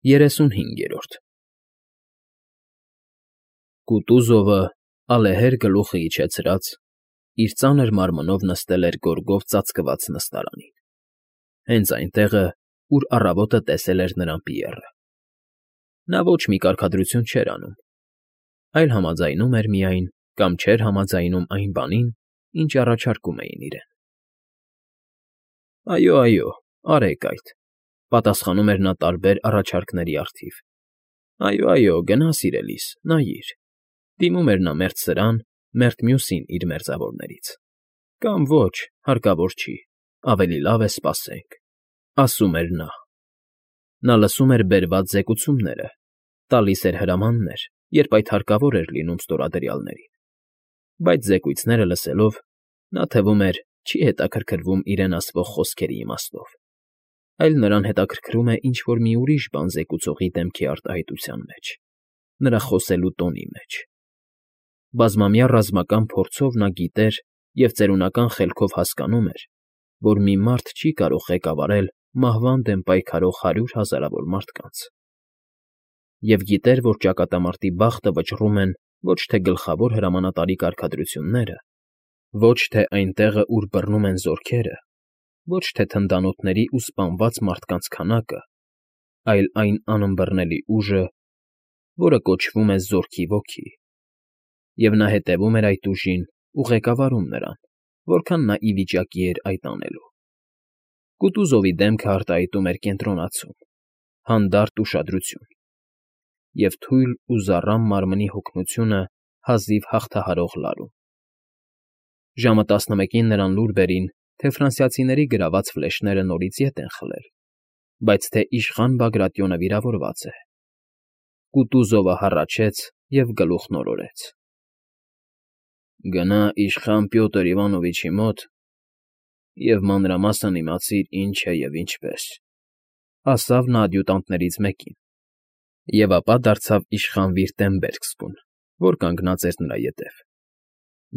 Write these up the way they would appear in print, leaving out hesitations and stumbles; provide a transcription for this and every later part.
35 Կուտուզովը, ալեհեր գլուխը իջեցրած, իր ծանր մարմնով նստել էր գորգով ծածկված նստարանին, հենց այն տեղը, ուր առավոտը տեսել էր նրան Պիեռը։ Նա ոչ մի կարգադրություն չէր անում, այլ համաձայնում էր միայն կամ չէր համաձայնում այն բանին, ինչ առաջարկում էին իրեն։ Այո, արեք այդ, պատասխանում էր նա տարբեր առաջարկների առթիվ։ Այո, գնա սիրելիս, նայիր, դիմում էր նա մերթ սրան, մերթ մյուսին իր մերձավորներից։ Կամ ոչ, հարկավոր չի, ավելի լավ է սպասենք, ասում էր նա։ Նա լսում էր բերված զեկուցումները, տալիս էր հրամաններ, երբ այդ հարկավոր էր լինում ստորադրյալներին, բայց զեկույցները լսելով, նա թվում էր չի հետաքրքրվում իրեն ասվող խոսքերի իմաստով, այլ նրան հետաքրքրում է ինչ-որ մի ուրիշ բան զեկուցողի դեմքի արտահայտության մեջ, նրա խոսելու տոնի մեջ։ Բազմամյա ռազմական փորձով նա գիտեր և ծերունական խելքով հասկանում էր, որ մի մարդ չի կարող ղեկավարել մահվան դեմ պայքարող 100 հազարավոր մարդկանց։ Եվ գիտեր, որ ճակատամարտի բախտը վճռում են ոչ թե գլխավոր հրամանատարի կարգադրությունները, ոչ թե այն տեղը, ուր բռնում են զորքերը, ոչ թե թնդանոթների ու սպանված մարդկանց քանակը, այլ այն անըմբռնելի ուժը, որը կոչվում է Զորքի Ոգի։ Եվ նա հետևում էր այդ ուժին ու ղեկավարում նրան, որքան նա ի վիճակի էր այդ անելու։ Կուտուզովի դեմքը արտահայտում էր կենտրոնացում, հանդարտ ուշադրություն և թույլ ու զառամ մարմնի հոգնությունը հազիվ հաղթահարող լարում։ Ժամը 11-ին նրան լուր բերին, թե ֆրանսիացիների գրաված ֆլեշները նորից ետ են խլել, բայց թե իշխան Բագրատիոնը վիրավորված է։ Կուտուզովը հառաչեց և գլուխն օրորեց։ Գնա իշխան Պյոտր Իվանովիչի մոտ և մանրամասն իմացիր ինչ է և ինչպես, ասավ նա ադյուտանտներից մեկին, և ապա դարձավ իշխան Վիրտեմբերգսկուն, որ կանգնած էր նրա ետև։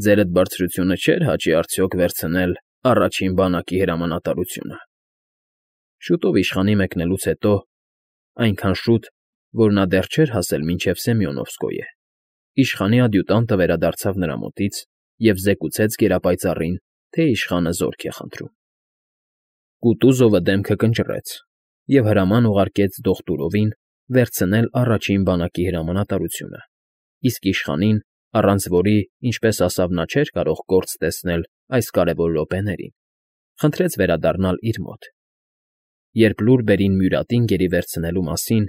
Ձերդ բարձրությունը չէր հաճի արդյոք վերցնել առաջին բանակի հրամանատարությունը։ Շուտով իշխանի մեկնելուց հետո, այնքան շուտ, որ նա դեռ չէր հասել մինչև Սեմյոնովսկոյե, իշխանի ադյուտանտը վերադարձավ նրա մոտից և զեկուցեց գերապայծառին, թե իշխանը զորք է խնդրում։ Կուտուզովը դեմքը կնճռեց և հրաման ուղարկեց դոկտորովին վերցնել առաջին բանակի հրամանատարությունը, իսկ իշխանին, առանց որի, ինչպես ասավ, նա չէր կարող գործ տեսնել այս կարևոր րոպեներին, խնդրեց վերադառնալ իր մոտ։ Երբ լուր բերին Մյուրատին գերի վերցնելու մասին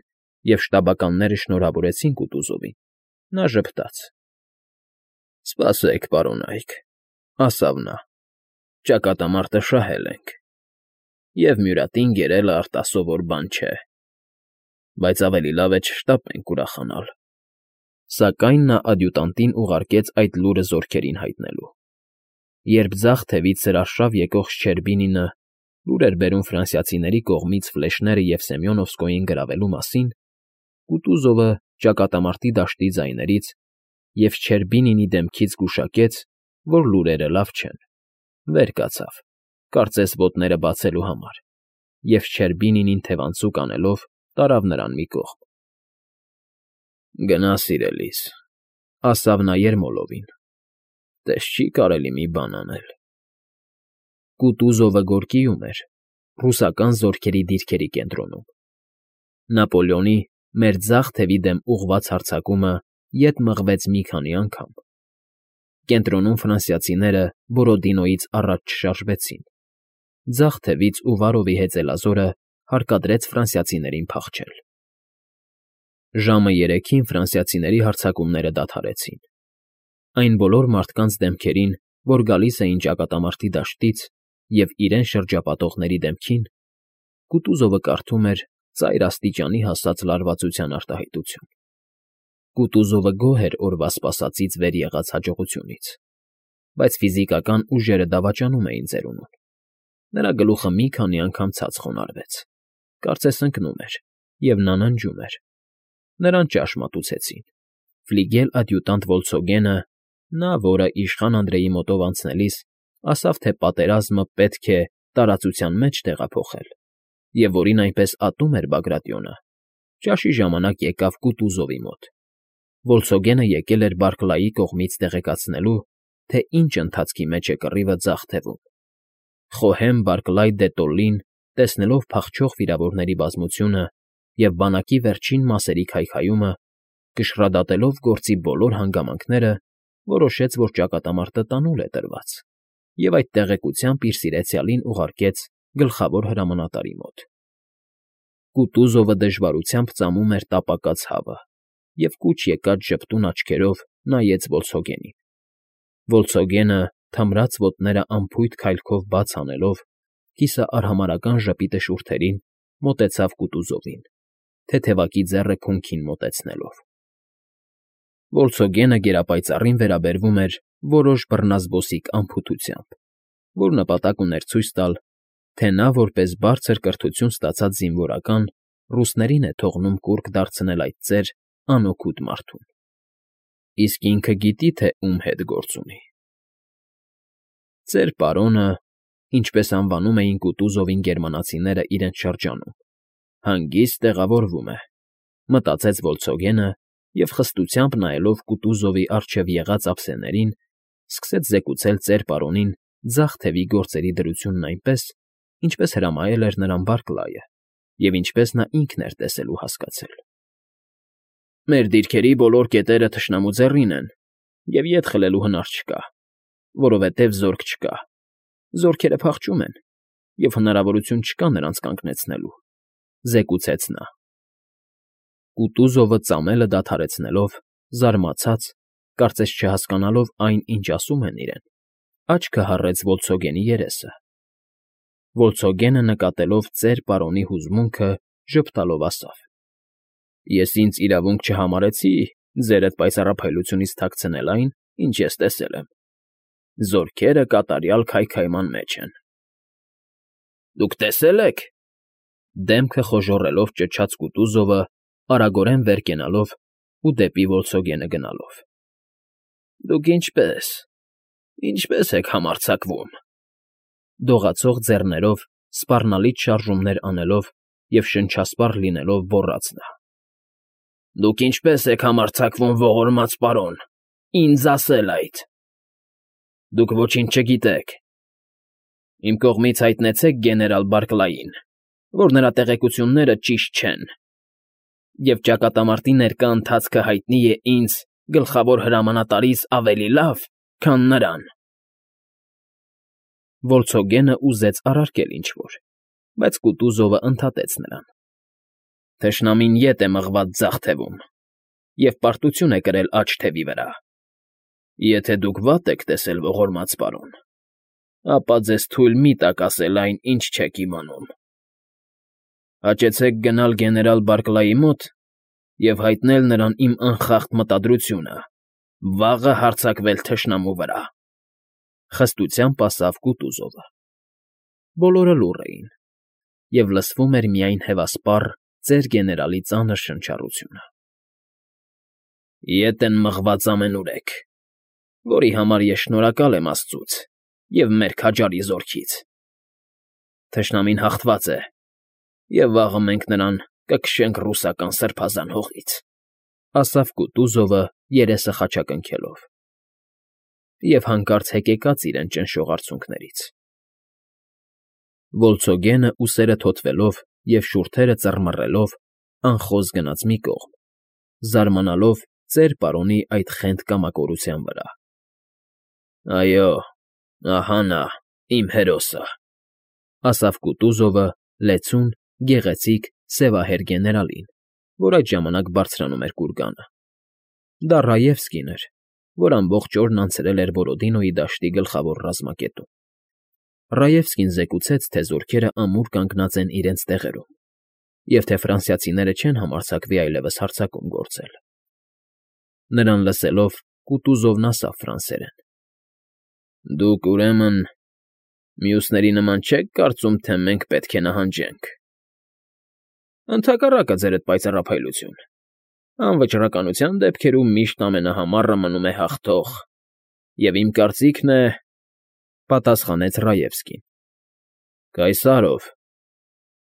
և շտաբականները շնորհավորեցին Կուտուզովին, նա ժպտաց. Սպասեք, պարոնայք, ասավ նա, ճակատամարտը շահել ենք, և Մյուրատին գերելը արտասովոր բան չէ, բայց ավելի լավ է չշտապենք ուրախանալ։ Սակայն նա ադյուտանտին ուղարկեց այդ լուրը զորքերին հայտնելու։ Երբ ձախ թևից սրարշավ եկող Շչերբինինը լուր էր բերում ֆրանսիացիների կողմից ֆլեշները և Սեմյոնովսկոյին գրավելու մասին, Կուտուզովը ճակատամարտի դաշտի ձայներից և Շչերբինինի դեմքից գուշակեց, որ լուրերը լավ չեն, վեր կացավ, կարծես ոտները բացելու համար, և Շչերբինինին թևանցուկ անելով տարավ նրան մի կողմ։ Գնա սիրելիս, ասավ նա Երմոլովին, տես չի կարելի մի բան անել։ Կուտուզովը գորգիում էր, ռուսական զորքերի դիրքերի կենտրոնում։ Նապոլեոնի մեր ձախ թևի դեմ ուղղված հարձակումը ետ մղվեց մի քանի անգամ։ Կենտրոնում ֆրանսիացիները Բորոդինոյից առաջ չշարժվեցին։ Ձախ թևից Ուվարովի հեծելազորը հարկադրեց ֆրանսիացիներին փախչել։ Ժամը 3-ին ֆրանսիացիների հարձակումները դադարեցին։ Այն բոլոր մարդկանց դեմքերին, որ գալիս էին ճակատամարտի դաշտից և իրեն շրջապատողների դեմքին, Կուտուզովը կարդում էր ծայր աստիճանի հասած լարվածության արտահայտություն։ Կուտուզովը գոհ էր օրվա սպասածից վեր եղած հաջողությունից, բայց ֆիզիկական ուժերը դավաճանում էին ծերունուն։ Նրա գլուխը մի քանի անգամ ցած խոնարհվեց, կարծես ընկնում էր, և նա ննջում էր։ Նրան ճաշ մատուցեցին։ Ֆլիգել֊ադյուտանտ Վոլցոգենը, նա, որը իշխան Անդրեի մոտով անցնելիս ասավ, թե պատերազմը պետք է տարածության մեջ տեղափոխել, և որին այնպես ատում էր Բագրատիոնը, Ճաշի ժամանակ եկավ Կուտուզովի մոտ։ Վոլցոգենը եկել էր Բարքլայի կողմից տեղեկացնելու, թե ինչ ընթացքի մեջ է կռիվը ձախ թևում։ Խոհեմ Բարքլայ դե Տոլլին, տեսնելով փախչող վիրավորների բազմությունը և բանակի վերջին մասերի քայքայումը, կշռադատելով գործի բոլոր հանգամանքները, որոշեց, որ ճակատամարտը տանուլ է տրված, և այդ տեղեկությամբ իր սիրեցյալին ուղարկեց գլխավոր հրամանատարի մոտ։ Կուտուզովը դժվարությամբ ծամում էր տապակած հավը և կուչ եկած ժպտուն աչքերով նայեց Վոլցոգենին։ Վոլցոգենը, թմրած ոտները անփույթ քայլքով բաց անելով, կիսաարհամարհական ժպիտը շուրթերին, մոտեցավ Կուտուզովին, թեթևակի ձեռը քունքին մոտեցնելով։ Վոլցոգենը գերապայծառին վերաբերվում էր որոշ բռնազբոսիկ անփութությամբ, որ նպատակ ուներ ցույց տալ, թե նա որպես բարձր կրթություն ստացած զինվորական ռուսներին է թողնում կուռք դարձնել այդ ծեր անօգուտ մարդուն։ Իսկ ինքը գիտի, թե ում հետ գործ ունի։ Ծեր պարոնը, ինչպես անվանում էին Կուտուզովին գերմանացիները իրենց շրջանում, հանգիստ տեղավորվում է, մտածեց Վոլցոգենը և խստությամբ նայելով Կուտուզովի առջև եղած ափսեներին, սկսեց զեկուցել ծեր պարոնին ձախ թևի գործերի դրությունն այնպես, ինչպես հրամայել էր նրան Բարքլայը և ինչպես նա ինքն էր տեսել ու հասկացել։ Մեր դիրքերի բոլոր կետերը թշնամու ձեռին են, և ետ խլելու հնար չկա, որովհետև զորք չկա, զորքերը փախչում են, և հնարավորություն չկա նրանց կանգնեցնելու, զեկուցեց նա։ Կուտուզովը ծամելը դադարեցնելով, զարմացած, կարծես չհասկանալով այն, ինչ ասում են իրեն, աչքը հառեց Վոլցոգենի երեսը։ Վոլցոգենը, նկատելով ծեր պարոնի հուզմունքը, ժպտալով ասավ. Ես ինձ իրավունք չհամարեցի ձերդ պայծառափայլությունից թաքցնել այն, ինչ ես տեսել եմ։ Զորքերը կատարյալ քայքայման մեջ են։ Դուք տեսե՞լ եք,֊ դեմքը խոժոռելով ճչաց Կուտուզովը, արագորեն վեր կենալով ու դեպի Վոլցոգենը գնալով։ Դուք ինչպե՞ս եք համարձակվում,֊ դողացող ձեռներով սպառնալից շարժումներ անելով և շնչասպառ լինելով գոռաց նա։ Դուք ինչպե՞ս եք համարձակվում, ողորմած պարոն, ինձ ասել այդ։ Դուք ոչինչ չգիտեք։ Իմ կողմից հայտնեցեք գեներալ Բարքլային, որ նրա տեղեկությունները ճիշտ չեն, և ճակատամարտի ներկա ընթացքը հայտնի է ինձ, գլխավոր հրամանատարիս, ավելի լավ, քան նրան։ Վոլցոգենը ուզեց առարկել ինչ֊որ, բայց Կուտուզովը ընդհատեց նրան։ Թշնամին ետ է մղված ձախ թևում և պարտություն է կրել աջ թևի վրա։ Եթե դուք վատ եք տեսել, ողորմած պարոն, ապա ձեզ թույլ մի տակ ասել այն, ինչ չեք իմանում։ Հաճեցեք գնալ գեներալ Բարքլայի մոտ և հայտնել նրան իմ անխախտ մտադրությունը, վաղը հարձակվել թշնամու վրա,֊ խստությամբ ասավ Կուտուզովը։ Բոլորը լուռ էին, և լսվում էր միայն հևասպառ ծեր գեներալի ծանր շնչառությունը։ Ետ են մղված ամենուրեք, որի համար ես շնորհակալ եմ աստծուց և մեր քաջարի զորքից։ Թշնամին հաղթված է, և վաղը մենք նրան կքշենք ռուսական սրբազան հողից,֊ ասավ Կուտուզովը, երեսը խաչակնքելով, և հանկարծ հեկեկաց իրեն ճնշող արցունքներից։ Վոլցոգենը, ուսերը թոթվելով և շուրթերը ծռմռելով, անխոզ գնաց մի կողմ, զարմանալով ծեր պարոնի այդ խենթ կամակորության վրա։ Այո, ահա նա, իմ հերոսը,֊ ասավ Կուտուզովը լեցուն, գեղեցիկ, սևահեր գեներալին, որ այդ ժամանակ բարձրանում էր կուրգանը։ Դա Ռաևսկին էր, որ ամբողջ օրն անցրել էր Բորոդինոյի դաշտի գլխավոր ռազմակետում։ Ռաևսկին զեկուցեց, թե զորքերը ամուր կանգնած են իրենց տեղերում, և թե ֆրանսիացիները չեն համարձակվի այլևս հարձակում գործել։ Նրան լսելով, Կուտուզովն ասավ ֆրանսերեն. Դուք, ուրեմն, մյուսների նման չեք կարծում, թե մենք պետք է նահանջենք։ Ընդհակառակը, ձերդ պայծառափայլություն, անվճռականության դեպքերում միշտ ամենահամառը մնում է հաղթող, և իմ կարծիքն է,֊ պատասխանեց Ռաևսկին։ Կայսարով,֊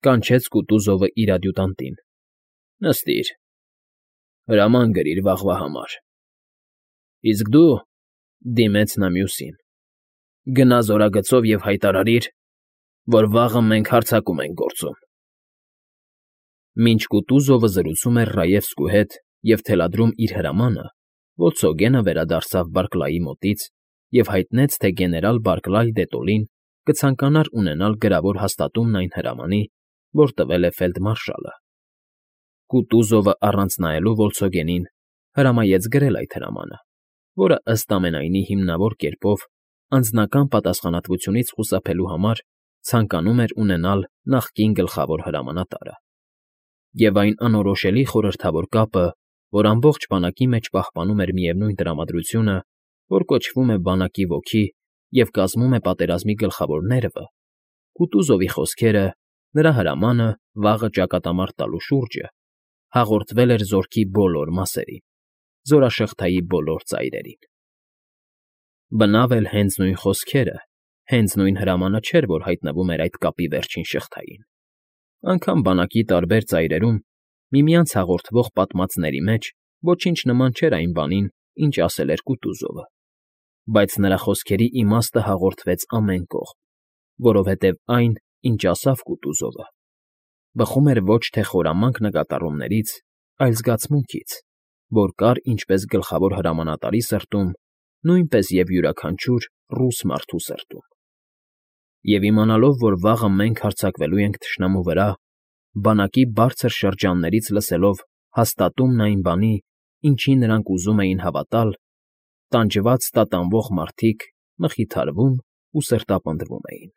կանչեց Կուտուզովը իր ադյուտանտին, Նստիր, հրաման գրիր վաղվա համար։ Իսկ դու,֊ դիմեց նա մյուսին,֊ գնա զորագծով և հայտարարիր, որ վաղը մենք հարձակում ենք գործում։ Մինչ Կուտուզովը զրուցում էր Ռաևսկու հետ և թելադրում իր հրամանը, Վոլցոգենը վերադարձավ Բարքլայի մոտից և հայտնեց, թե գեներալ Բարքլայ դե Տոլին կցանկանար ունենալ գրավոր հաստատումն այն հրամանի, որ տվել է ֆելդմարշալը։ Կուտուզովը, առանց նայելու Վոլցոգենին, հրամայեց գրել այդ հրամանը, որը, ըստ ամենայնի, հիմնավոր կերպով անձնական պատասխանատվությունից խուսափելու համար ցանկանում էր ունենալ նախկին գլխավոր հրամանատարը։ Եվ այն անորոշելի խորհրդավոր կապը, որ ամբողջ բանակի մեջ պահպանում էր միևնույն տրամադրությունը, որ կոչվում է բանակի ոգի և կազմում է պատերազմի գլխավոր ներվը, Կուտուզովի խոսքերը, նրա հրամանը վաղը ճակատամարտ տալու շուրջը, հաղորդվել էր զորքի բոլոր մասերին, զորաշղթայի բոլոր ծայրերին։ Բնավ էլ հենց նույն խոսքերը, հենց նույն հրամանը չէր, որ հայտնվում էր այդ կապի վերջին շղթային։ Անգամ բանակի տարբեր ծայրերում միմյանց հաղորդվող պատմածների մեջ ոչինչ նման չէր այն բանին, ինչ ասել էր Կուտուզովը, բայց նրա խոսքերի իմաստը հաղորդվեց ամեն կողմ, որովհետև այն, ինչ ասավ Կուտուզովը, բխում էր ոչ թե խորամանկ նկատառումներից, այլ զգացմունքից, որ կար ինչպես գլխավոր հրամանատարի սրտում, նույնպես և յուրաքանչյուր ռուս մարդու սրտում։ Եվ իմանալով, որ վաղը մենք հարձակվելու ենք թշնամու վրա, բանակի բարձր շրջաններից լսելով հաստատումն այն բանի, ինչին նրանք ուզում էին հավատալ, տանջված տատանվող մարդիկ մխիթարվում ու սրտապնդվում էին։